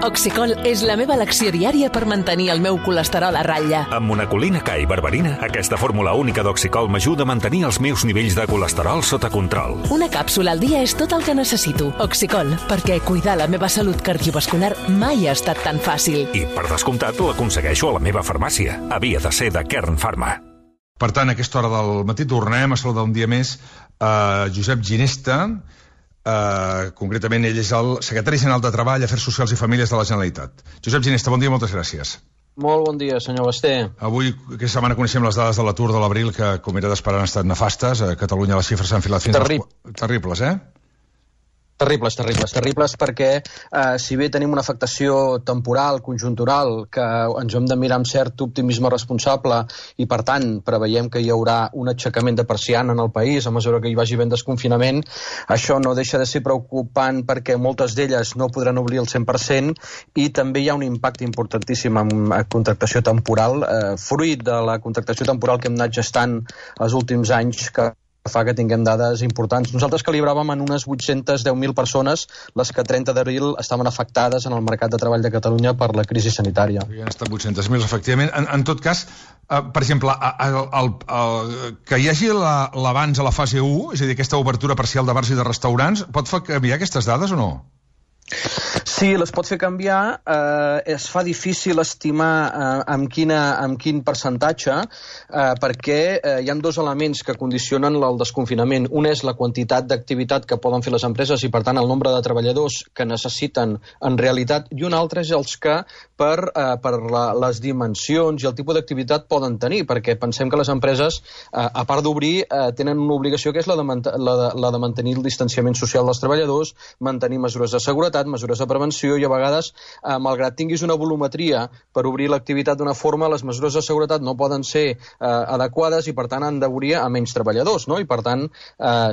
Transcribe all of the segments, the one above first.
Oxicol és la meva elecció diària per mantenir el meu colesterol a ratlla. Amb monacolina K i berberina, aquesta fórmula única d'Oxicol m'ajuda a mantenir els meus nivells de colesterol sota control. Una càpsula al dia és tot el que necessito. Oxicol, perquè cuidar la meva salut cardiovascular mai ha estat tan fàcil. I, per descomptat, l'aconsegueixo a la meva farmàcia. Havia de ser de Kern Pharma. Per tant, a aquesta hora del matí tornem a saludar un dia més Josep Ginesta. Concretament, ell és el secretari general de Treball, Afers Socials i Famílies de la Generalitat. Josep Ginesta, bon dia, moltes gràcies. Molt bon dia, senyor Basté. Avui, aquesta setmana, coneixem les dades de l'atur de l'abril, que, com era d'esperar, han estat nefastes. A Catalunya les xifres s'han enfilat fins terribles, Terribles, perquè si bé tenim una afectació temporal, conjuntural, que ens hem de mirar amb cert optimisme responsable i, per tant, preveiem que hi haurà un aixecament de persiana en el país a mesura que hi vagi ben desconfinament, això no deixa de ser preocupant perquè moltes d'elles no podran obrir el 100% i també hi ha un impacte importantíssim en contractació temporal, fruit de la contractació temporal que hem anat gestant els últims anys, que fa que tinguem dades importants. Nosaltres calibràvem en unes 810.000 persones les que a 30 d'abril estaven afectades en el mercat de treball de Catalunya per la crisi sanitària. Hi han estat 800.000, efectivament. En tot cas, per exemple, que hi hagi l'abans a la fase 1, és a dir, aquesta obertura parcial de bars i de restaurants, pot fer canviar aquestes dades o no? Sí, les pot fer canviar. Es fa difícil estimar amb quin percentatge, perquè hi ha dos elements que condicionen el desconfinament. Un és la quantitat d'activitat que poden fer les empreses i, per tant, el nombre de treballadors que necessiten en realitat, i un altre és els que, per les dimensions i el tipus d'activitat poden tenir, perquè pensem que les empreses, a part d'obrir, tenen una obligació que és la de mantenir el distanciament social dels treballadors, mantenir mesures de seguretat, mesures de prevenció i a vegades, malgrat tinguis una volumetria per obrir l'activitat d'una forma, les mesures de seguretat no poden ser adequades i per tant han d'obrir a menys treballadors, no? I per tant,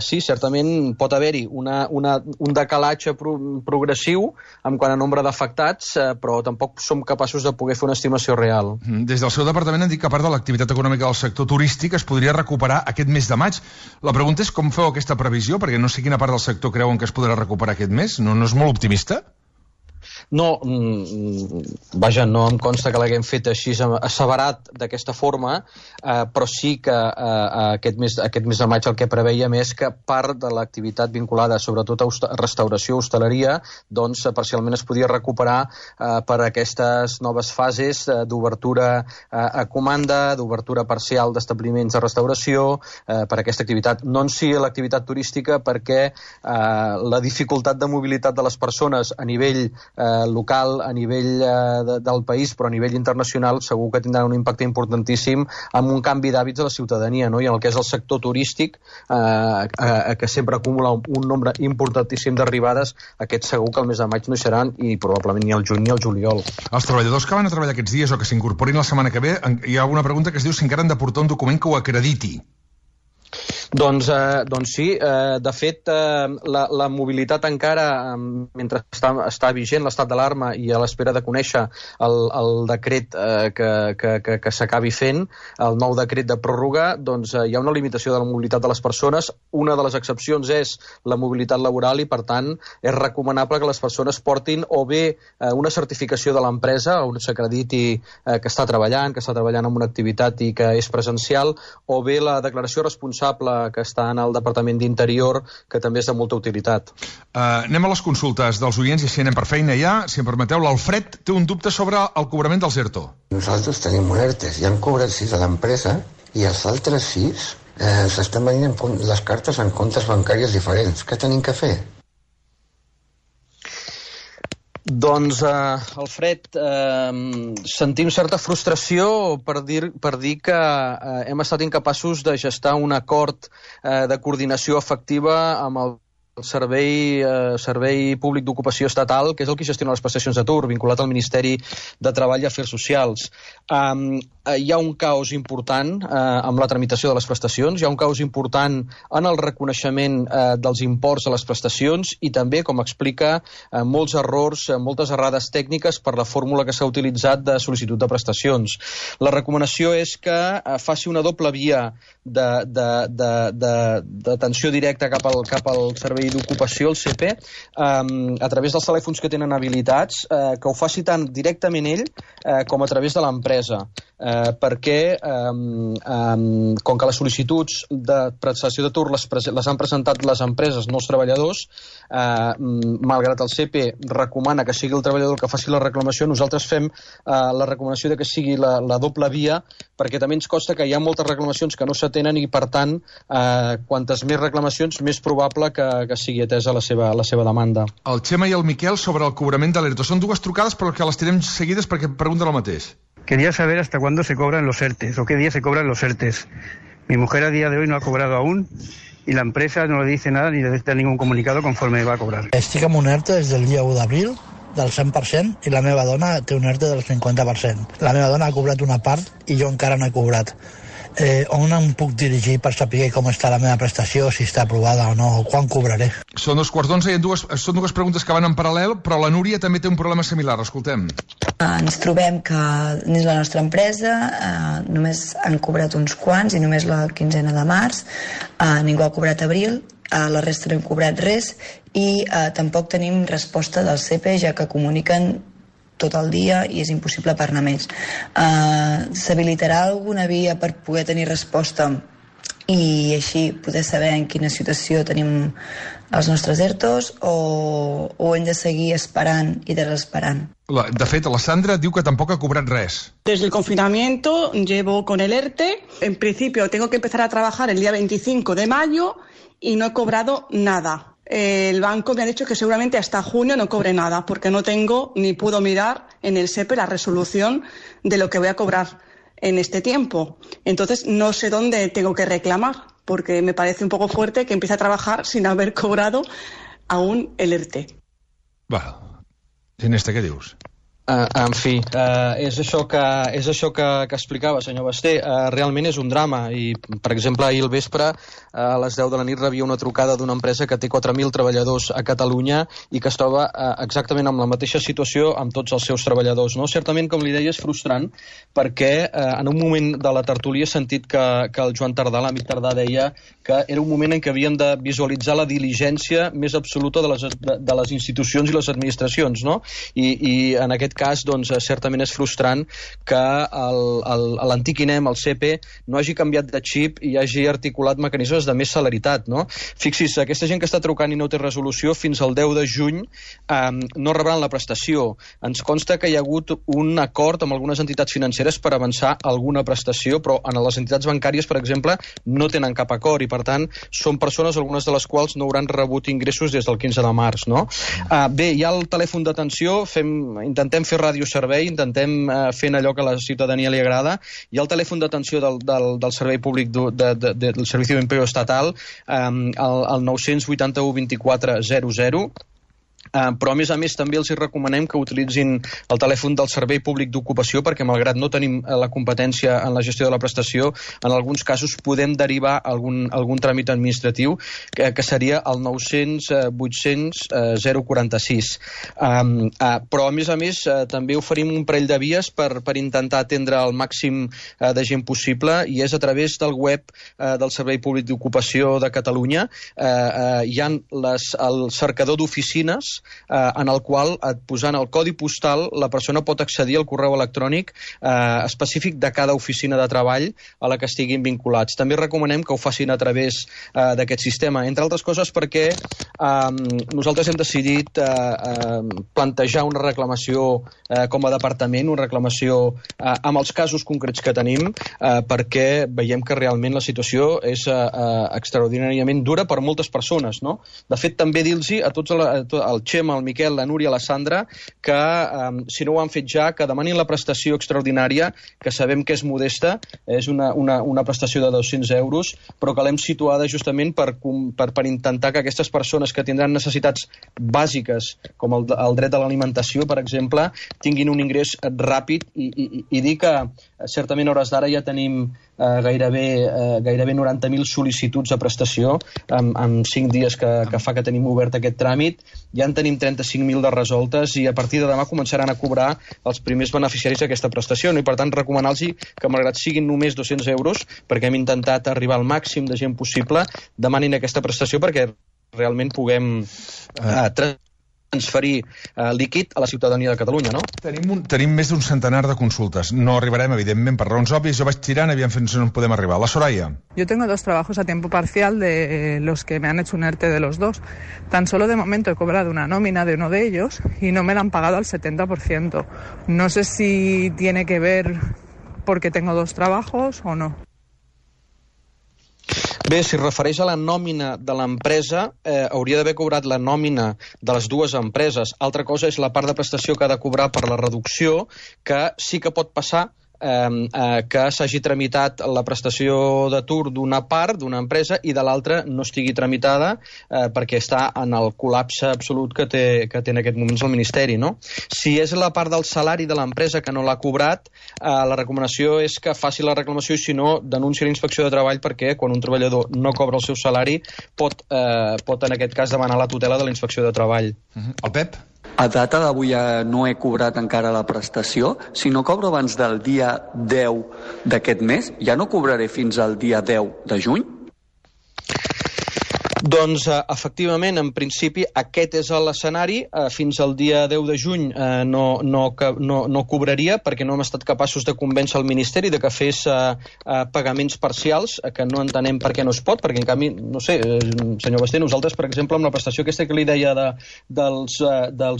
sí, certament pot haver-hi un decalatge progressiu en quant a nombre d'afectats, però tampoc som capaços de poder fer una estimació real. Des del seu departament han dit que a part de l'activitat econòmica del sector turístic es podria recuperar aquest mes de maig. La pregunta és com feu aquesta previsió, perquè no sé quina part del sector creuen que es podrà recuperar aquest mes. No és molt optimista? No, vaja, no em consta que l'haguem fet així asseverat d'aquesta forma, però sí que aquest mes de maig el que preveiem és que part de l'activitat vinculada sobretot a restauració, hostaleria, doncs parcialment es podia recuperar per aquestes noves fases d'obertura a comanda, d'obertura parcial d'establiments de restauració, per aquesta activitat. No en si l'activitat turística, perquè la dificultat de mobilitat de les persones a nivell local, a nivell del país, però a nivell internacional segur que tindrà un impacte importantíssim amb un canvi d'hàbits de la ciutadania, no? I en el que és el sector turístic, que sempre acumula un nombre importantíssim d'arribades, aquest segur que el mes de maig no hi seran i probablement ni el juny ni el juliol. Els treballadors que van a treballar aquests dies o que s'incorporin la setmana que ve, hi ha una pregunta que es diu si encara han de portar un document que ho acrediti. Doncs sí, de fet la mobilitat encara, mentre està vigent l'estat d'alarma i a l'espera de conèixer el decret que s'acabi fent, el nou decret de pròrroga, doncs hi ha una limitació de la mobilitat de les persones. Una de les excepcions és la mobilitat laboral i, per tant, és recomanable que les persones portin o bé una certificació de l'empresa on s'acrediti que està treballant en una activitat i que és presencial, o bé la declaració responsable que està en el Departament d'Interior, que també és de molta utilitat. Anem a les consultes dels oients i així anem per feina ja. Si em permeteu, l'Alfred té un dubte sobre el cobrament dels ERTO. Nosaltres tenim un ERTE, ja han cobrat 6 a l'empresa i els altres 6 s'estan venint les cartes en comptes bancàries diferents. Què tenim que fer? Doncs, Alfred, sentim certa frustració per dir que hem estat incapaços de gestar un acord de coordinació efectiva amb el Servei Públic d'Ocupació Estatal, que és el que gestiona les prestacions d'atur, vinculat al Ministeri de Treball i Afers Socials. Hi ha un caos important amb la tramitació de les prestacions, hi ha un caos important en el reconeixement dels imports a les prestacions i també, com explica, molts errors, moltes errades tècniques per la fórmula que s'ha utilitzat de sol·licitud de prestacions. La recomanació és que faci una doble via d'atenció directa cap al Servei Servei d'Ocupació, el CP, a través dels telèfons que tenen habilitats, que ho faci tant directament ell com a través de l'empresa, perquè com que les sol·licituds de prestació d'atur les han presentat les empreses, no els treballadors, malgrat el CP recomana que sigui el treballador el que faci la reclamació, nosaltres fem la recomanació de que sigui la doble via, perquè també ens consta que hi ha moltes reclamacions que no s'atenen i, per tant, quantes més reclamacions, més probable que sigui atesa la seva demanda. El Xema i el Miquel sobre el cobrament de l'ERTE. Són dues trucades, però que les tirem seguides perquè pregunten el mateix. Quería saber hasta cuándo se cobran los ERTEs o qué día se cobran los ERTEs. Mi mujer a día de hoy no ha cobrado aún y la empresa no le dice nada ni le da ningún comunicado conforme va a cobrar. Estic amb un ERTE des del dia 1 d'abril del 100% i la meva dona té un ERTE del 50%. La meva dona ha cobrat una part i jo encara no he cobrat. On em puc dirigir per saber com està la meva prestació, si està aprovada o no, quan cobraré? Són 2:15 i són dues preguntes que van en paral·lel, però la Núria també té un problema similar. Escoltem. Ens trobem que dins la nostra empresa només han cobrat uns quants i només la quinzena de març, ningú ha cobrat abril, la resta no hem cobrat res i tampoc tenim resposta del CP, ja que comuniquen tot el dia i és impossible per anar més. S'habilitarà alguna via per poder tenir resposta i així poder saber en quina situació tenim els nostres ERTOs o hem de seguir esperant i desesperant? De fet, la Sandra diu que tampoc ha cobrat res. Desde el confinamiento llevo con el ERTE. En principio tengo que empezar a trabajar el día 25 de mayo y no he cobrado nada. El banco me ha dicho que seguramente hasta junio no cobre nada, porque no tengo ni puedo mirar en el SEPE la resolución de lo que voy a cobrar en este tiempo. Entonces no sé dónde tengo que reclamar, porque me parece un poco fuerte que empiece a trabajar sin haber cobrado aún el ERTE. Bueno, Ginesta, què dius? En fi, és això que explicava, senyor Basté. Realment és un drama i, per exemple, ahir al vespre a les 10 de la nit rebia una trucada d'una empresa que té 4.000 treballadors a Catalunya i que es troba exactament en la mateixa situació amb tots els seus treballadors. No? Certament, com li deia, és frustrant perquè en un moment de la tertúlia he sentit que el Joan Tardà, l'amic Tardà, deia que era un moment en què havien de visualitzar la diligència més absoluta de les institucions i les administracions, no? I en aquest cas, doncs, certament és frustrant que l'antic INEM, el CP, no hagi canviat de xip i hagi articulat mecanismes de més celeritat, no? Fixi's, aquesta gent que està trucant i no té resolució, fins al 10 de juny no rebran la prestació. Ens consta que hi ha hagut un acord amb algunes entitats financeres per avançar alguna prestació, però en les entitats bancàries, per exemple, no tenen cap acord i, per tant, són persones, algunes de les quals no hauran rebut ingressos des del 15 de març, no? Bé, hi ha el telèfon d'atenció, intentem fer radioservei, intentem fer allò que a la ciutadania li agrada. Hi ha el telèfon d'atenció del Servei Públic del Servicio de Empleo Estatal, el 981 24 00, però a més també els recomanem que utilitzin el telèfon del Servei Públic d'Ocupació perquè malgrat no tenim la competència en la gestió de la prestació, en alguns casos podem derivar algun tràmit administratiu que seria el 900 800 046. Però a més també oferim un parell de vies per intentar atendre el màxim de gent possible i és a través del web del Servei Públic d'Ocupació de Catalunya. Hi ha el cercador d'oficines en el qual, posant el codi postal, la persona pot accedir al correu electrònic específic de cada oficina de treball a la que estiguin vinculats. També recomanem que ho facin a través d'aquest sistema, entre altres coses perquè nosaltres hem decidit plantejar una reclamació com a departament, una reclamació amb els casos concrets que tenim, perquè veiem que realment la situació és extraordinàriament dura per moltes persones, no? De fet, també dir-los a tots el Xema, el Miquel, la Núria, la Sandra, que si no ho han fet ja, que demanin la prestació extraordinària, que sabem que és modesta, és una prestació de 200 euros, però que l'hem situada justament per intentar que aquestes persones que tindran necessitats bàsiques, com el dret a l'alimentació, per exemple, tinguin un ingrés ràpid i dir que certament a hores d'ara ja tenim gairebé 90.000 sol·licituds a prestació en 5 dies que fa que tenim obert aquest tràmit. Ja en tenim 35.000 de resoltes i a partir de demà començaran a cobrar els primers beneficiaris d'aquesta prestació. I per tant recomanar-los que malgrat siguin només 200 euros, perquè hem intentat arribar al màxim de gent possible, demanin aquesta prestació perquè realment puguem transferir líquid a la ciutadania de Catalunya, no? Tenim més d'un centenar de consultes. No arribarem, evidentment, per raons òbvies. Jo vaig tirant, aviam fins on podem arribar. La Soraya. Yo tengo 2 trabajos a tiempo parcial de los que me han hecho un ERTE de los 2. Tan solo de momento he cobrado una nómina de uno de ellos y no me la han pagado al 70%. No sé si tiene que ver porque tengo 2 trabajos o no. Bé, si es refereix a la nòmina de l'empresa, hauria d'haver cobrat la nòmina de les 2 empreses. Altra cosa és la part de prestació que ha de cobrar per la reducció, que sí que pot passar que s'hagi tramitat la prestació d'atur d'una part, d'una empresa, i de l'altra no estigui tramitada perquè està en el col·lapse absolut que té en aquest moment el Ministeri, no? Si és la part del salari de l'empresa que no l'ha cobrat, la recomanació és que faci la reclamació i, si no, denuncia a la Inspecció de Treball, perquè quan un treballador no cobra el seu salari pot en aquest cas demanar la tutela de la Inspecció de Treball. El Pep? A data d'avui no he cobrat encara la prestació. Si no cobro abans del dia 10 d'aquest mes, ja no cobraré fins al dia 10 de juny? Doncs, efectivament, en principi, aquest és l'escenari. Fins al dia 10 de juny no cobraria, perquè no hem estat capaços de convèncer el Ministeri de que fes pagaments parcials, que no entenem per què no es pot, perquè, en canvi, no sé, senyor Basté, nosaltres, per exemple, amb la prestació aquesta que li deia dels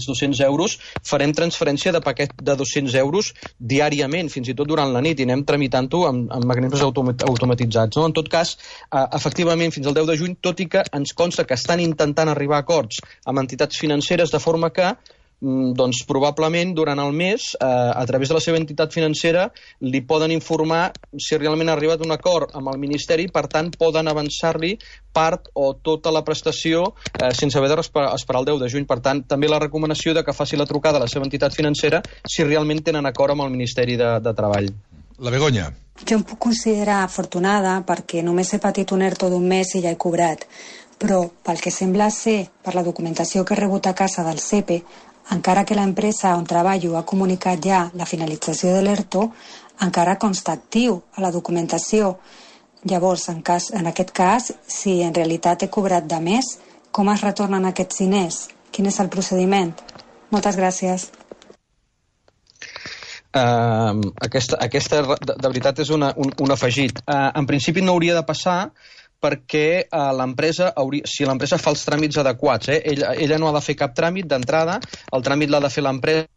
200 euros, farem transferència de paquet de 200 euros diàriament, fins i tot durant la nit, i anem tramitant-ho amb mecanismes automatitzats, no? En tot cas, efectivament, fins al 10 de juny, tot i que ens consta que estan intentant arribar a acords amb entitats financeres, de forma que doncs probablement durant el mes, a través de la seva entitat financera, li poden informar si realment ha arribat a un acord amb el Ministeri, per tant poden avançar-li part o tota la prestació sense haver d'esperar el 10 de juny. Per tant, també la recomanació de que faci la trucada a la seva entitat financera si realment tenen acord amb el Ministeri de Treball. La Begoña. Jo em puc considerar afortunada perquè només he patit un ERTO d'un mes i ja he cobrat, però pel que sembla ser, per la documentació que he rebut a casa del SEPE, encara que l'empresa on treballo ha comunicat ja la finalització de l'ERTO, encara consta actiu a la documentació. Llavors, en aquest cas, si en realitat he cobrat de més, com es retornen aquests diners? Quin és el procediment? Moltes gràcies. Aquesta de veritat és un afegit. En principi no hauria de passar, perquè si l'empresa fa els tràmits adequats, ella no ha de fer cap tràmit d'entrada, el tràmit l'ha de fer l'empresa,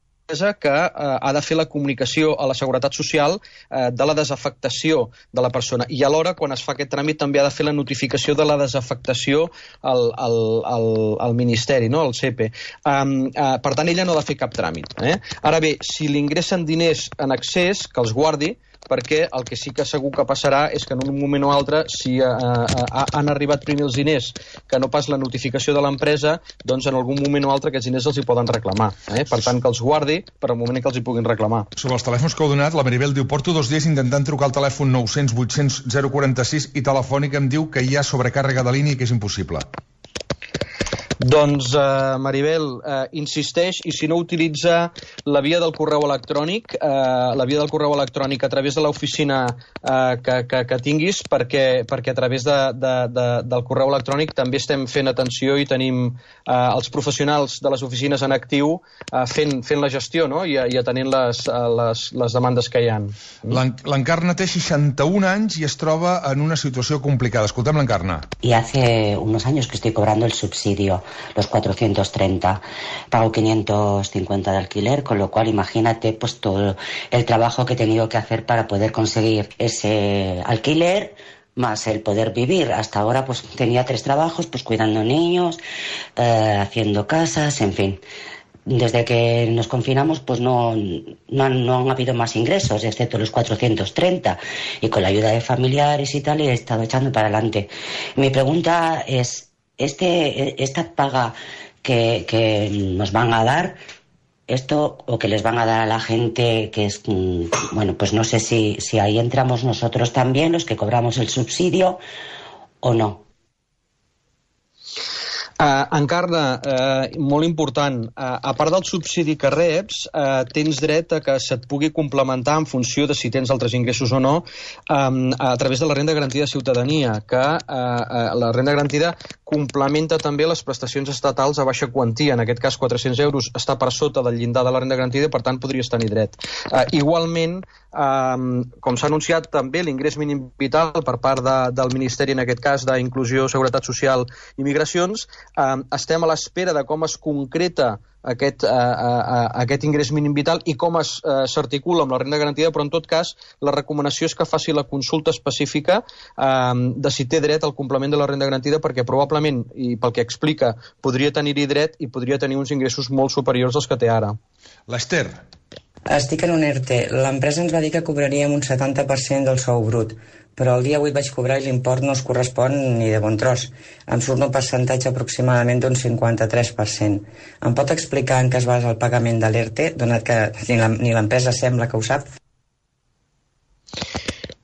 que ha de fer la comunicació a la Seguretat Social de la desafectació de la persona, i alhora, quan es fa aquest tràmit, també ha de fer la notificació de la desafectació al Ministeri, no? Al SEPE. Per tant, ella no ha de fer cap tràmit. Ara bé, si li ingressen diners en excés, que els guardi, perquè el que sí que segur que passarà és que en un moment o altre, si han arribat primer els diners que no pas la notificació de l'empresa, doncs en algun moment o altre aquests diners els hi poden reclamar. Per tant, que els guardi per al moment en què els hi puguin reclamar. Sobre els telèfons que heu donat, la Maribel diu: porto 2 dies intentant trucar al telèfon 900 800 046 i Telefònica em diu que hi ha sobrecàrrega de línia i que és impossible. Doncs, Maribel, insisteix, i si no, utilitza la via del correu electrònic, a través de l'oficina que tinguis, perquè a través del correu electrònic també estem fent atenció i tenim els professionals de les oficines en actiu fent la gestió, no? I atenent les demandes que hi ha. L'Encarna té 61 anys i es troba en una situació complicada. Escoltem l'Encarna. Y hace unos años que estoy cobrando el subsidio, los 430. Pago 550 de alquiler, con lo cual imagínate pues todo el trabajo que he tenido que hacer para poder conseguir ese alquiler, más el poder vivir. Hasta ahora pues tenía 3 trabajos, pues cuidando niños, haciendo casas, en fin. Desde que nos confinamos pues no han habido más ingresos, excepto los 430, y con la ayuda de familiares y tal he estado echando para adelante. Mi pregunta es, esta paga que nos van a dar, esto o que les van a dar a la gente que es, bueno, pues no sé si ahí entramos nosotros también, los que cobramos el subsidio, o no. Encarna, molt important, a part del subsidi que reps, tens dret a que se't pugui complementar en funció de si tens altres ingressos o no a través de la renda garantida de ciutadania, que la renda garantida complementa també les prestacions estatals a baixa quantia. En aquest cas, 400 euros està per sota del llindar de la renda garantida i, per tant, podries tenir dret. Igualment, com s'ha anunciat també l'ingrés mínim vital per part del Ministeri, en aquest cas d'Inclusió, Seguretat Social i Migracions, estem a l'espera de com es concreta aquest ingrés mínim vital i com s'articula amb la renda garantida, però en tot cas la recomanació és que faci la consulta específica de si té dret al complement de la renda garantida, perquè probablement, i pel que explica, podria tenir-hi dret i podria tenir uns ingressos molt superiors als que té ara. L'Ester. Estic en un ERTE. L'empresa ens va dir que cobraríem un 70% del sou brut, però el dia 8 vaig cobrar i l'import no es correspon ni de bon tros. Em surt un percentatge aproximadament d'un 53%. Em pot explicar en què es basa el pagament de l'ERTE, donat que ni l'empresa sembla que ho sap?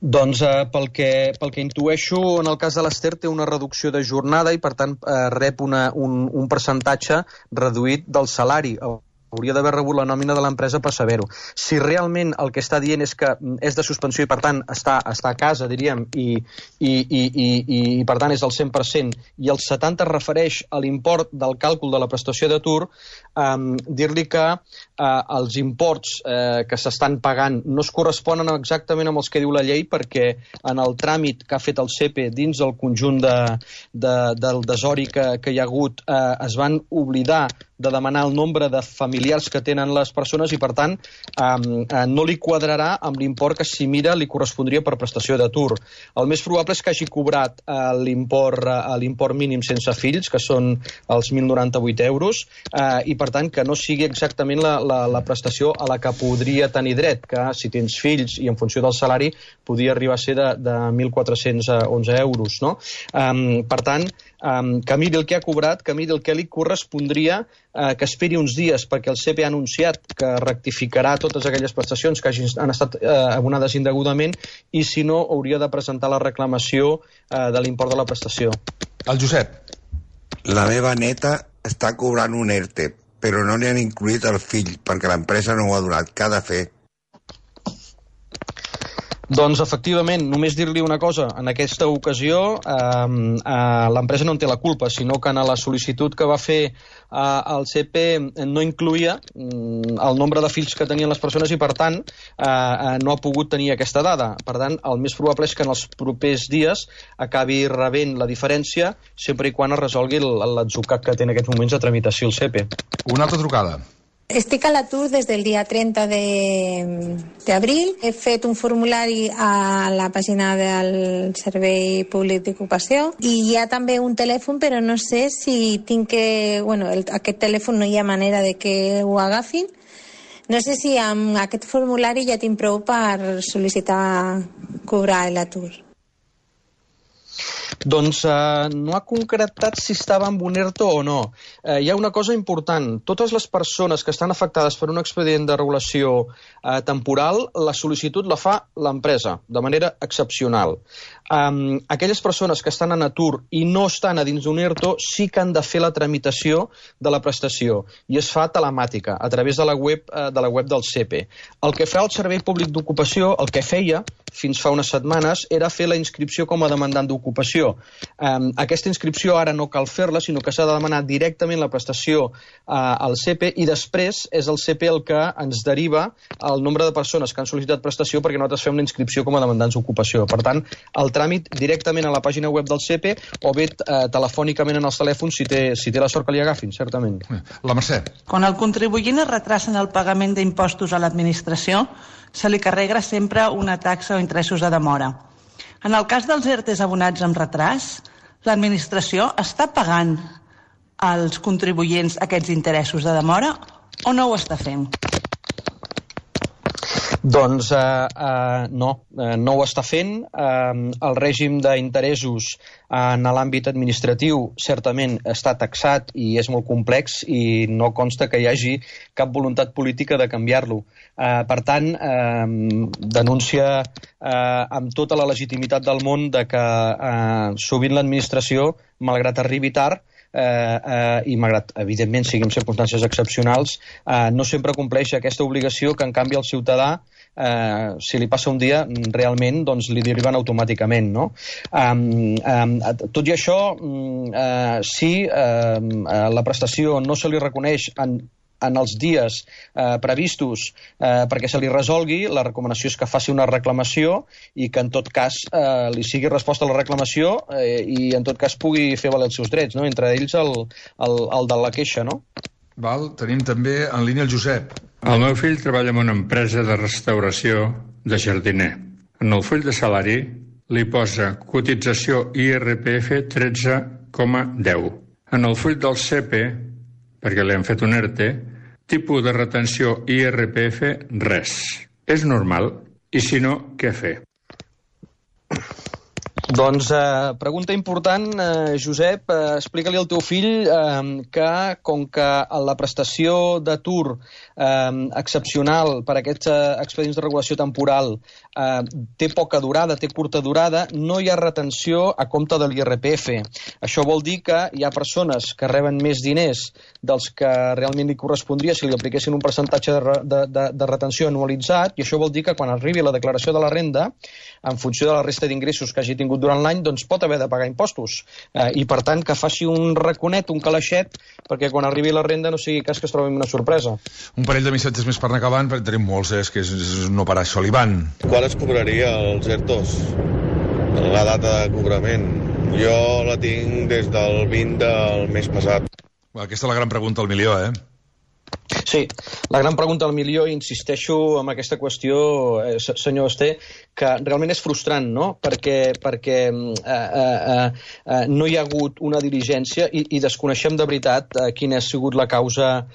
Doncs pel que intueixo, en el cas de l'Ester té una reducció de jornada i per tant rep un percentatge reduït del salari. Hauria d'haver rebut la nòmina de l'empresa per saber-ho. Si realment el que està dient és que és de suspensió i per tant està a casa, diríem, i per tant és el 100%, i el 70% es refereix a l'import del càlcul de la prestació d'atur, dir-li que els imports que s'estan pagant no es corresponen exactament amb els que diu la llei, perquè en el tràmit que ha fet el SEPE dins del conjunt del desori que hi ha hagut es van oblidar de demanar el nombre de familiars que tenen les persones i, per tant, no li quadrarà amb l'import que, si mira, li correspondria per prestació d'atur. El més probable és que hagi cobrat l'import mínim sense fills, que són els 1.098 euros, i, per tant, que no sigui exactament la prestació a la que podria tenir dret, que si tens fills i en funció del salari podria arribar a ser de 1.411 euros, no? Per tant, que miri el que ha cobrat, que miri el que li correspondria, que esperi uns dies perquè el SEPE ha anunciat que rectificarà totes aquelles prestacions que han estat abonades indegudament i, si no, hauria de presentar la reclamació de l'import de la prestació. El Josep. La meva neta està cobrant un ERTE, però no li han incluït el fill perquè l'empresa no ho ha donat. Què ha de fer? Doncs, efectivament, només dir-li una cosa. En aquesta ocasió, l'empresa no en té la culpa, sinó que en la sol·licitud que va fer el SEPE no incluïa el nombre de fills que tenien les persones i, per tant, no ha pogut tenir aquesta dada. Per tant, el més probable és que en els propers dies acabi rebent la diferència, sempre i quan es resolgui l'atzucac que té en aquests moments de tramitació el SEPE. Una altra trucada. Estic a l'atur des del dia 30 d'abril. He fet un formulari a la pàgina del Servei Públic d'Ocupació i hi ha també un telèfon, però no sé si tinc que... Bueno, aquest telèfon no hi ha manera de que ho agafin. No sé si amb aquest formulari ja tinc prou per sol·licitar cobrar l'atur. Doncs no ha concretat si estava amb un ERTO o no. Hi ha una cosa important. Totes les persones que estan afectades per un expedient de regulació temporal, la sol·licitud la fa l'empresa, de manera excepcional. Aquelles persones que estan en atur i no estan a dins d'un ERTO sí que han de fer la tramitació de la prestació i es fa telemàtica a través de la web del SEPE. El que fa el Servei Públic d'Ocupació, el que feia fins fa unes setmanes, era fer la inscripció com a demandant d'ocupació. Aquesta inscripció ara no cal fer-la, sinó que s'ha de demanar directament la prestació al SEPE i després és el SEPE el que ens deriva el nombre de persones que han sol·licitat prestació perquè nosaltres fem la inscripció com a demandants d'ocupació. Per tant, el tràmit directament a la pàgina web del SEPE o bé telefònicament en els telèfons si té la sort que li agafin, certament. La Mercè. Quan el contribuent es retrasa en el pagament d'impostos a l'administració, se li carrega sempre una taxa o interessos de demora. En el cas dels ERTEs abonats amb retras, l'administració està pagant als contribuents aquests interessos de demora o no ho està fent? Doncs no ho està fent. El règim d'interessos en l'àmbit administratiu certament està taxat i és molt complex i no consta que hi hagi cap voluntat política de canviar-lo. Per tant, denúncia amb tota la legitimitat del món de que sovint l'administració, malgrat arribi tard, i malgrat, evidentment, siguin circumstàncies excepcionals, no sempre compleix aquesta obligació que, en canvi, el ciutadà, si li passa un dia, realment doncs, li deriven automàticament, no? Tot i això, si la prestació no se li reconeix en els dies previstos perquè se li resolgui, la recomanació és que faci una reclamació i que en tot cas li sigui resposta a la reclamació i en tot cas pugui fer valer els seus drets, no? Entre ells el de la queixa, no? Val, tenim també en línia el Josep. El meu fill treballa en una empresa de restauració de jardiner. En el full de salari li posa cotització IRPF 13,10. En el full del CEPE, perquè li han fet un ERTE, tipus de retenció IRPF, res. És normal? I si no, què fer? Doncs pregunta important, Josep. Explica-li al teu fill que com que la prestació d'atur excepcional per aquests expedients de regulació temporal té poca durada, té curta durada, no hi ha retenció a compte de l'IRPF. Això vol dir que hi ha persones que reben més diners dels que realment li correspondria si li apliquessin un percentatge de retenció anualitzat, i això vol dir que quan arribi la declaració de la renda, en funció de la resta d'ingressos que hagi tingut durant l'any, doncs pot haver de pagar impostos. I per tant que faci un raconet, un calaixet, perquè quan arribi la renda no sigui cas que es trobi una sorpresa. Un parell de missatges més per anar acabant, perquè tenim molts, és que és no parar això. L'Ivan. Quan es cobraria els ERTOs? La data de cobrament? Jo la tinc des del 20 del mes passat. Aquesta és la gran pregunta al milió, Sí, la gran pregunta al milió, i insisteixo en aquesta qüestió, senyor Esté, que realment és frustrant, no? Perquè no hi ha hagut una diligència i desconeixem de veritat quina ha sigut la causa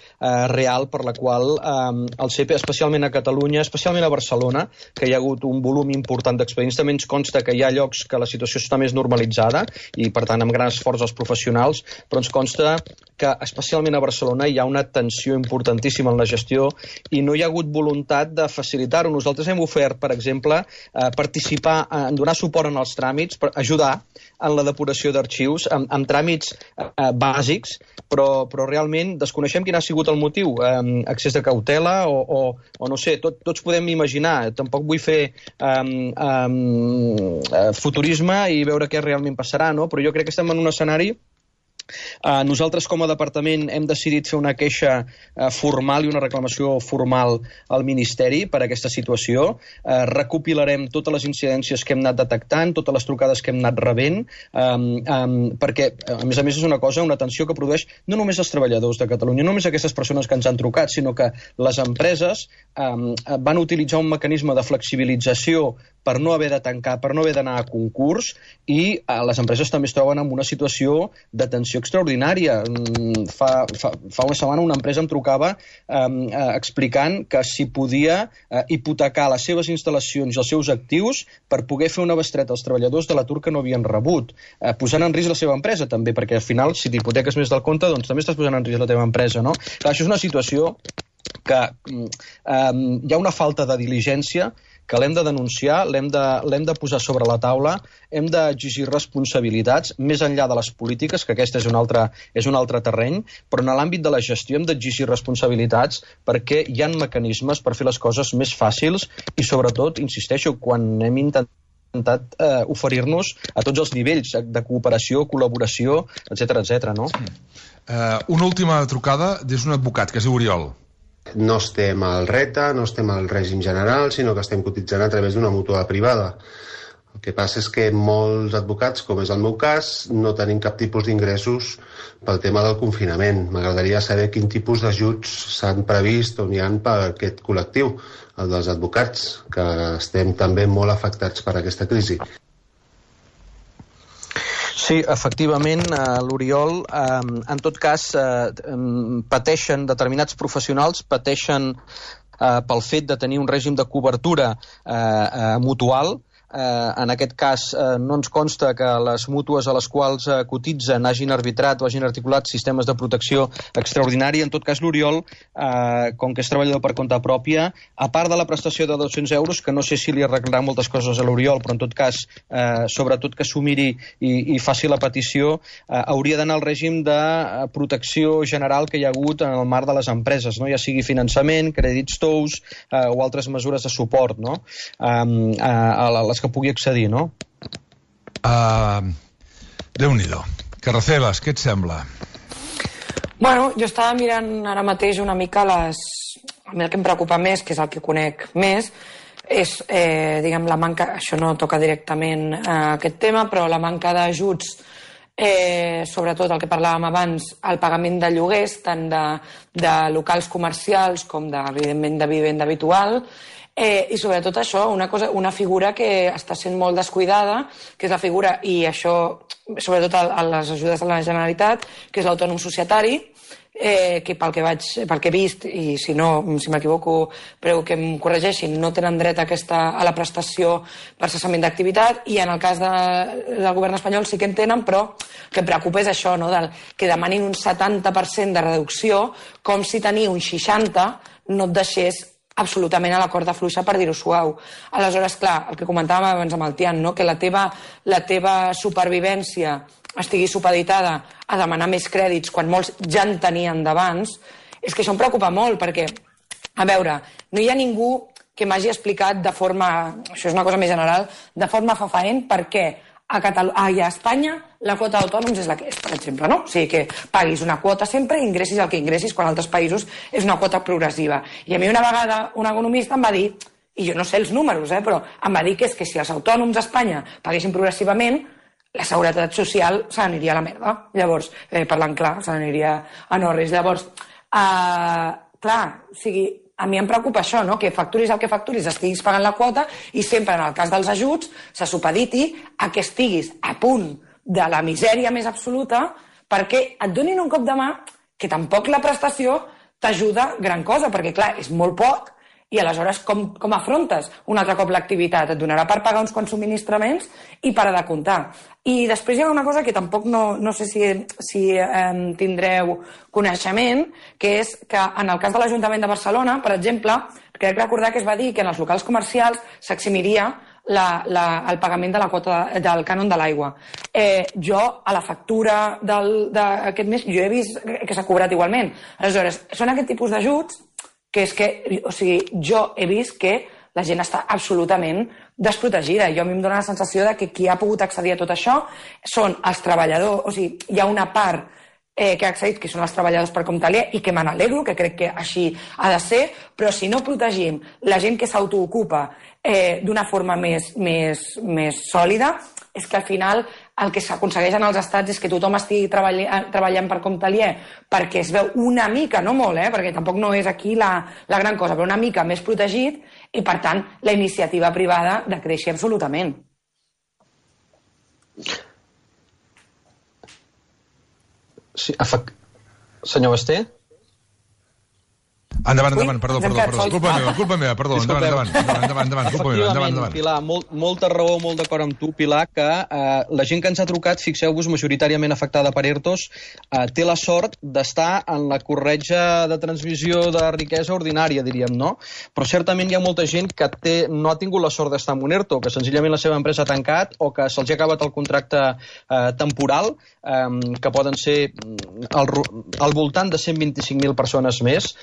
real per la qual el CEPE, especialment a Catalunya, especialment a Barcelona, que hi ha hagut un volum important d'expedients, també ens consta que hi ha llocs que la situació està més normalitzada i, per tant, amb gran esforç dels professionals, però ens consta que, especialment a Barcelona, hi ha una tensió importantíssima en la gestió i no hi ha hagut voluntat de facilitar-ho. Nosaltres hem ofert, per exemple, participar, en donar suport en els tràmits, per ajudar en la depuració d'arxius, amb tràmits bàsics, però realment desconeixem quin ha sigut el motiu, excés de cautela o no sé, tots podem imaginar, tampoc vull fer futurisme i veure què realment passarà, no? Però jo crec que estem en un escenari. Nosaltres com a departament hem decidit fer una queixa formal i una reclamació formal al Ministeri per aquesta situació. Recopilarem totes les incidències que hem anat detectant, totes les trucades que hem anat rebent, perquè, a més, és una tensió que produeix no només els treballadors de Catalunya, no només aquestes persones que ens han trucat, sinó que les empreses van utilitzar un mecanisme de flexibilització per no haver de tancar, per no haver d'anar a concurs, i les empreses també es troben en una situació de tensió extraordinària. Fa una setmana una empresa em trucava explicant que si podia hipotecar les seves instal·lacions i els seus actius per poder fer una bestreta als treballadors de l'atur que no havien rebut, posant en risc la seva empresa també, perquè al final si t'hipoteques més del compte doncs també estàs posant en risc la teva empresa, no? Clar, això és una situació que hi ha una falta de diligència que l'hem de denunciar, l'hem de posar sobre la taula, hem d'exigir responsabilitats, més enllà de les polítiques, que aquest és un altre terreny, però en l'àmbit de la gestió hem d'exigir responsabilitats perquè hi ha mecanismes per fer les coses més fàcils i, sobretot, insisteixo, quan hem intentat oferir-nos a tots els nivells de cooperació, col·laboració, etc., no? Una última trucada des d'un advocat, que es diu Oriol. No estem al RETA, no estem al règim general, sinó que estem cotitzant a través d'una mútua privada. El que passa és que molts advocats, com és el meu cas, no tenim cap tipus d'ingressos pel tema del confinament. M'agradaria saber quin tipus d'ajuts s'han previst o n'hi ha per aquest col·lectiu, el dels advocats, que estem també molt afectats per aquesta crisi. Sí, efectivament, l'Oriol, en tot cas, pateixen determinats professionals, pateixen pel fet de tenir un règim de cobertura mutual, en aquest cas no ens consta que les mútues a les quals cotitzen hagin arbitrat o hagin articulat sistemes de protecció extraordinària. En tot cas, l'Oriol, com que és treballador per compte pròpia, a part de la prestació de 200 euros, que no sé si li arreglarà moltes coses a l'Oriol, però en tot cas, sobretot que s'ho miri i faci la petició, hauria d'anar al règim de protecció general que hi ha hagut en el marc de les empreses, no? Ja sigui finançament, crèdits tous o altres mesures de suport, no? A les que pugui accedir, no? Déu-n'hi-do. Carraceles, què et sembla? Bueno, jo estava mirant ara mateix una mica a mi el que em preocupa més, que és el que conec més, és, diguem, la manca, això no toca directament aquest tema, però la manca d'ajuts, sobretot el que parlàvem abans, el pagament de lloguers, tant de locals comercials com, evidentment, de vivenda habitual, i sobretot això, una figura que està sent molt descuidada, que és la figura, i això, sobretot a les ajudes de la Generalitat, que és l'autònom societari, que pel que he vist, i si m'equivoco, prego que em corregeixin, no tenen dret a la prestació per cessament d'activitat, i en el cas del govern espanyol sí que en tenen, però el que em preocupa és això, que demanin un 70% de reducció, com si tenir un 60% no et deixés absolutament a la corda fluixa, per dir-ho suau. Aleshores, clar, el que comentàvem abans amb el Tian, que la teva supervivència estigui supeditada a demanar més crèdits quan molts ja en tenien d'abans, és que això em preocupa molt, perquè, a veure, no hi ha ningú que m'hagi explicat de forma, això és una cosa més general, de forma fefaent per què a Espanya la quota d'autònoms és la que és, per exemple, no? O sigui, que paguis una quota sempre i ingressis el que ingressis, quan a altres països és una quota progressiva. I a mi una vegada un economista em va dir, i jo no sé els números, però em va dir que és que si els autònoms a Espanya paguessin progressivament, la seguretat social se n'aniria a la merda. Llavors, parlant clar, se n'aniria a no res. Llavors, clar, o sigui, a mi em preocupa això, que facturis el que facturis, estiguis pagant la quota i sempre, en el cas dels ajuts, se supediti a que estiguis a punt de la misèria més absoluta perquè et donin un cop de mà que tampoc la prestació t'ajuda gran cosa, perquè, clar, és molt poc i aleshores com afrontes un altre cop l'activitat? Et donarà per pagar uns quants subministraments i per de comptar. I després hi ha una cosa que tampoc no sé si tindreu coneixement, que és que en el cas de l'Ajuntament de Barcelona, per exemple, crec recordar que es va dir que en els locals comercials s'eximiria el pagament de la quota del cànon de l'aigua. Jo, a la factura d'aquest mes, jo he vist que s'ha cobrat igualment. Aleshores, són aquest tipus d'ajuts que és que, o sigui, jo he vist que la gent està absolutament desprotegida. Jo a mi em dóna la sensació de que qui ha pogut accedir a tot això són els treballadors, o sigui, hi ha una part que ha accedit, que són els treballadors per compte aliè, i que me n'alegro, que crec que així ha de ser, però si no protegim la gent que s'autoocupa d'una forma més sòlida, és que al final el que s'aconsegueix en els estats és que tothom estigui treballant per compte aliè perquè es veu una mica, no molt, perquè tampoc no és aquí la gran cosa, però una mica més protegit i, per tant, la iniciativa privada de créixer absolutament. Sí, senyor Basté? Endavant, perdó. Culpa meva, perdó. Endavant, culpa meva, endavant. Pilar, molta raó, molt d'acord amb tu, Pilar, que la gent que ens ha trucat, fixeu-vos, majoritàriament afectada per ERTOs, té la sort d'estar en la corretja de transmissió de riquesa ordinària, diríem, no? Però certament hi ha molta gent que no ha tingut la sort d'estar en un ERTO, que senzillament la seva empresa ha tancat o que se'ls ha acabat el contracte temporal, que poden ser al voltant de 125.000 persones més,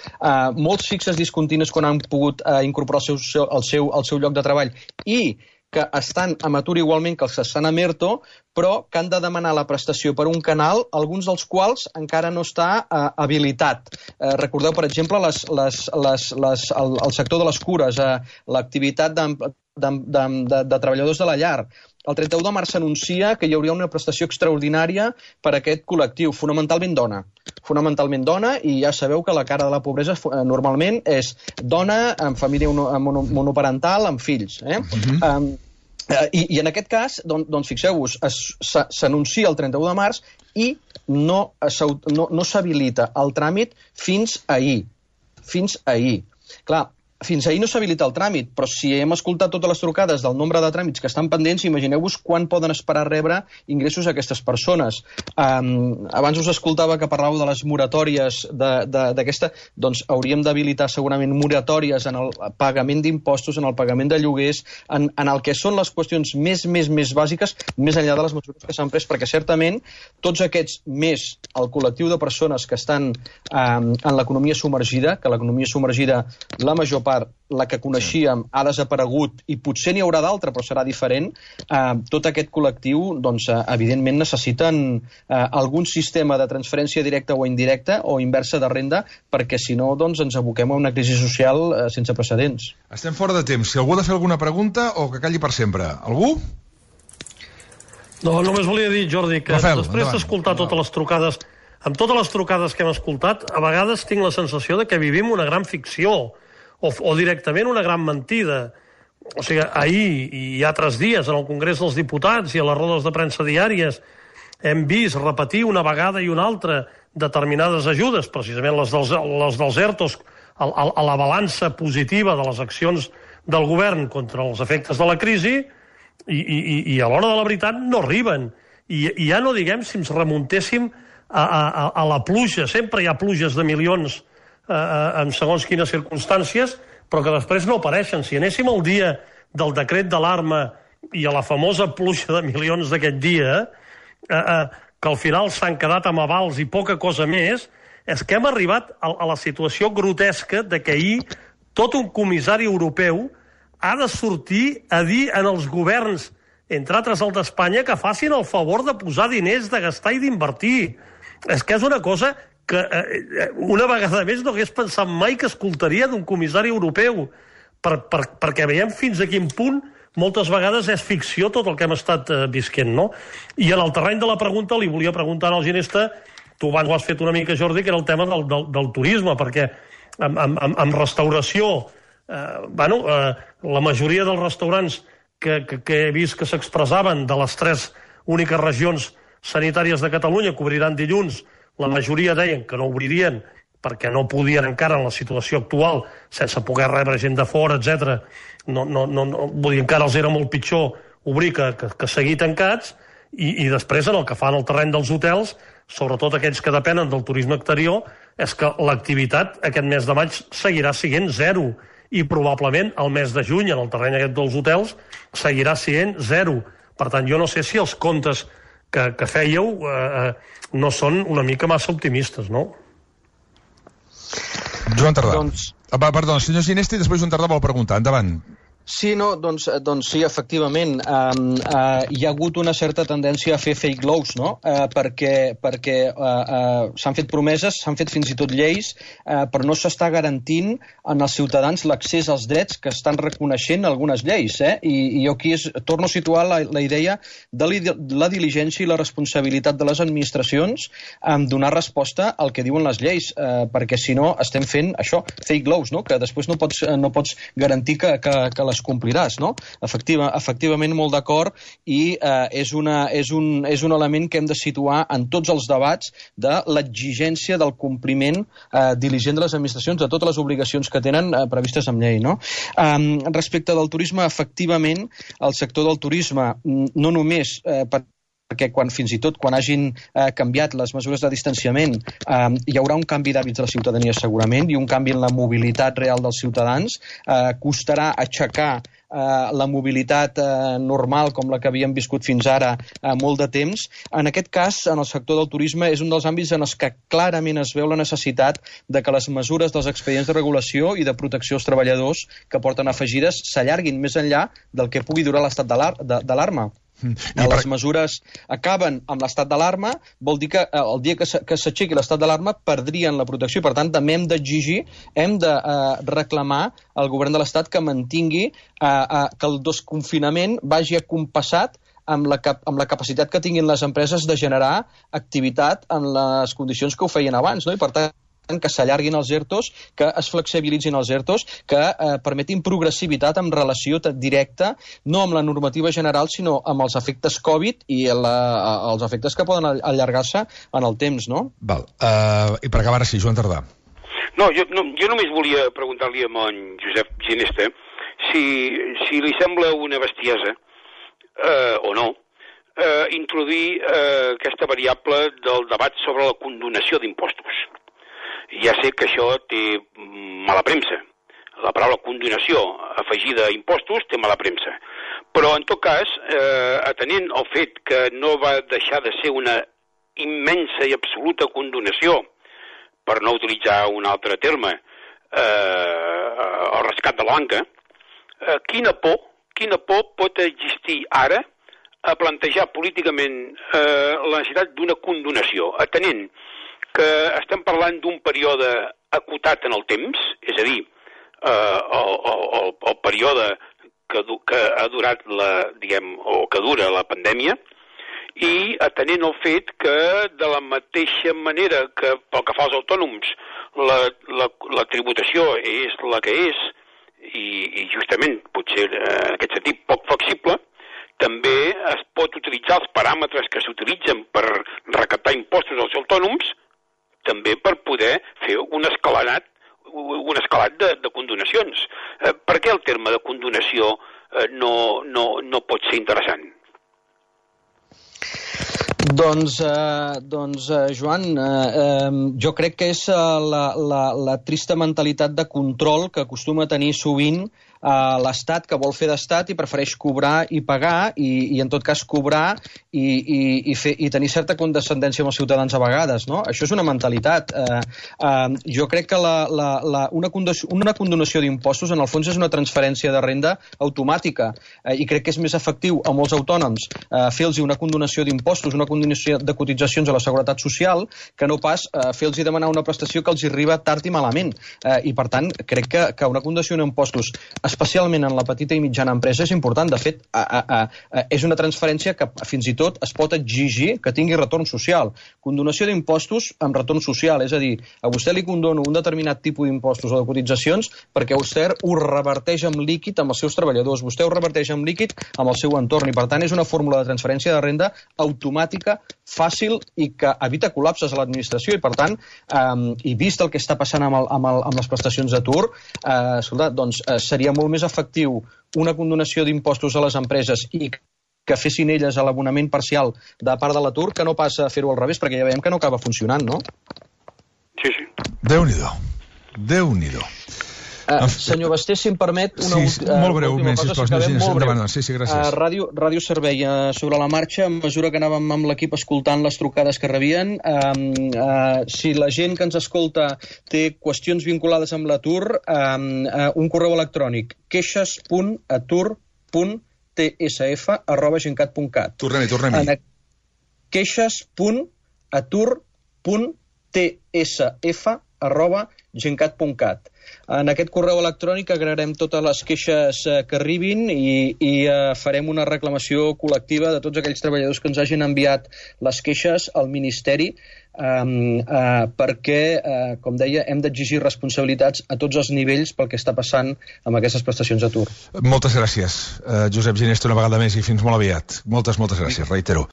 molts fixes discontinus quan han pogut incorporar el seu lloc de treball i que estan a atur igualment que els que estan a ERTO, però que han de demanar la prestació per un canal, alguns dels quals encara no està habilitat. Recordeu, per exemple, el sector de les cures, l'activitat de treballadors de la llar. El 31 de març s'anuncia que hi hauria una prestació extraordinària per a aquest col·lectiu, fonamentalment dona, i ja sabeu que la cara de la pobresa normalment és dona amb família monoparental, amb fills. I en aquest cas, doncs fixeu-vos, s'anuncia el 31 de març i no s'habilita el tràmit fins ahir. Clar, Fins ahir no s'habilita el tràmit, però si hem escoltat totes les trucades del nombre de tràmits que estan pendents, imagineu-vos quan poden esperar rebre ingressos aquestes persones. Abans us escoltava que parlàveu de les moratòries d'aquesta, doncs hauríem d'habilitar segurament moratòries en el pagament d'impostos, en el pagament de lloguers, en el que són les qüestions més bàsiques, més enllà de les mesures que s'han pres, perquè certament tots aquests, més el col·lectiu de persones que estan en l'economia submergida, que l'economia submergida, la major part, la que coneixíem, ha desaparegut i potser n'hi haurà d'altra, però serà diferent, tot aquest col·lectiu, doncs, evidentment necessiten algun sistema de transferència directa o indirecta o inversa de renda, perquè si no, doncs, ens aboquem a una crisi social sense precedents. Estem fora de temps. Si algú ha de fer alguna pregunta o que calli per sempre. Algú? No, només volia dir, Jordi, que Rafael, després d'escoltar totes les trucades, amb totes les trucades que hem escoltat, a vegades tinc la sensació de que vivim una gran ficció, o directament una gran mentida. O sigui, ahir i altres dies en el Congrés dels Diputats i a les rodes de premsa diàries hem vist repetir una vegada i una altra determinades ajudes, precisament les dels ERTOs, a la balança positiva de les accions del govern contra els efectes de la crisi, i a l'hora de la veritat no arriben. I ja no diguem si ens remuntéssim a la pluja. Sempre hi ha pluges de milions en segons quines circumstàncies, però que després no apareixen. Si anéssim al dia del decret d'alarma i a la famosa pluja de milions d'aquest dia, que al final s'han quedat amb avals i poca cosa més, és que hem arribat a la situació grotesca de que ahir tot un comissari europeu ha de sortir a dir en els governs, entre altres el d'Espanya, que facin el favor de posar diners, de gastar i d'invertir. És que és una cosa que una vegada més no hagués pensat mai que escoltaria d'un comissari europeu, perquè veiem fins a quin punt moltes vegades és ficció tot el que hem estat visquent, no? I en el terreny de la pregunta li volia preguntar al Ginesta, tu abans ho has fet una mica, Jordi, que era el tema del turisme, perquè amb restauració, la majoria dels restaurants que he vist que s'expressaven de les 3 úniques regions sanitàries de Catalunya que obriran dilluns, la majoria deien que no obririen perquè no podien encara en la situació actual, sense poder rebre gent de fora, etc. Vull dir, encara els era molt pitjor obrir que seguir tancats, i després en el que fan al terreny dels hotels, sobretot aquells que depenen del turisme exterior, és que l'activitat aquest mes de maig seguirà sent 0, i probablement el mes de juny en el terreny aquest dels hotels seguirà sent 0. Per tant, jo no sé si els comptes que fèieu no són una mica massa optimistes, no? Joan Tardà. Perdó, senyor Ginesta, i després Joan Tardà vol preguntar. Endavant. Sí, no, doncs sí, efectivament. Hi ha hagut una certa tendència a fer fake lows, no? Perquè s'han fet promeses, s'han fet fins i tot lleis, però no s'està garantint en els ciutadans l'accés als drets que estan reconeixent algunes lleis. I jo aquí torno a situar la idea de la diligència i la responsabilitat de les administracions en donar resposta al que diuen les lleis, perquè si no estem fent això, fake lows, no? Que després no pots garantir que les compliràs, no? Efectivament, molt d'acord, i és un element que hem de situar en tots els debats de l'exigència del compliment diligent de les administracions de totes les obligacions que tenen previstes amb llei, no? Respecte del turisme, efectivament, el sector del turisme, no només perquè fins i tot quan hagin canviat les mesures de distanciament hi haurà un canvi d'hàbits de la ciutadania segurament, i un canvi en la mobilitat real dels ciutadans, costarà aixecar la mobilitat normal com la que havíem viscut fins ara molt de temps. En aquest cas, en el sector del turisme, és un dels àmbits en els que clarament es veu la necessitat de que les mesures dels expedients de regulació i de protecció als treballadors que porten afegides s'allarguin més enllà del que pugui durar l'estat d'alarma. Les mesures acaben amb l'estat d'alarma, vol dir que el dia que s'aixequi l'estat d'alarma perdrien la protecció, i per tant també hem d'exigir, hem de reclamar al govern de l'Estat que mantingui que el desconfinament vagi acompassat amb la capacitat que tinguin les empreses de generar activitat en les condicions que ho feien abans, no? I per tant que s'allarguin els ERTOs, que es flexibilitzin els ERTOs, que permetin progressivitat en relació directa, no amb la normativa general, sinó amb els efectes Covid i els efectes que poden allargar-se en el temps, no? Val. I per acabar, sí, Joan Tardà. No, jo només volia preguntar-li a en Josep Ginesta si li sembla una bestiesa, o no, introduir aquesta variable del debat sobre la condonació d'impostos. Ja sé que això té mala premsa. La paraula condonació afegida a impostos té mala premsa. Però, en tot cas, atenent al fet que no va deixar de ser una immensa i absoluta condonació, per no utilitzar un altre terme, el rescat de la banca, quina por pot existir ara a plantejar políticament la necessitat d'una condonació, atenent que estem parlant d'un període acotat en el temps, és a dir, el període que ha durat que dura la pandèmia, i atenent el fet que de la mateixa manera que pel que fa als autònoms la tributació és la que és i justament potser en aquest sentit poc flexible, també es pot utilitzar els paràmetres que s'utilitzen per recaptar impostos als autònoms també per poder fer un escalat de condonacions. Per què el terme de condonació no pot ser interessant? Doncs Joan, jo crec que és la trista mentalitat de control que acostuma a tenir sovint l'Estat, que vol fer d'Estat i prefereix cobrar i pagar i en tot cas cobrar i tenir certa condescendència amb els ciutadans a vegades, no? Això és una mentalitat. Jo crec que una condonació d'impostos en el fons és una transferència de renda automàtica i crec que és més efectiu a molts autònoms fer-los una condonació d'impostos, una condonació de cotitzacions a la Seguretat Social, que no pas fer-los demanar una prestació que els arriba tard i malament. I per tant, crec que una condonació d'impostos, especialment en la petita i mitjana empresa, és important. De fet, és una transferència que fins i tot es pot exigir que tingui retorn social. Condonació d'impostos amb retorn social, és a dir, a vostè li condono un determinat tipus d'impostos o de cotitzacions perquè vostè ho reverteix en líquid amb els seus treballadors, vostè ho reverteix en líquid amb el seu entorn i per tant és una fórmula de transferència de renda automàtica, fàcil i que evita col·lapses a l'administració i per tant, i vist el que està passant amb les prestacions d'atur, escolta, doncs seria molt més efectiu una condonació d'impostos a les empreses i que fessin elles a l'abonament parcial de part de l'atur que no pas a fer-ho al revés, perquè ja veiem que no acaba funcionant, no? Sí. Déu-n'hi-do. Senyor Basté, si em permet una molt breument, sisplau. Sí, gràcies. Ràdio Servei, sobre la marxa, a mesura que anàvem amb l'equip escoltant les trucades que rebien, si la gent que ens escolta té qüestions vinculades amb l'atur, un correu electrònic, queixes.atur.tsf@gencat.cat. Tornem-hi. queixes.atur.tsf@gencat.cat. En aquest correu electrònic agrairem totes les queixes que arribin i farem una reclamació col·lectiva de tots aquells treballadors que ens hagin enviat les queixes al Ministeri perquè, com deia, hem d'exigir responsabilitats a tots els nivells pel que està passant amb aquestes prestacions d'atur. Moltes gràcies, Josep Ginesta, una vegada més i fins molt aviat. Moltes gràcies, reitero.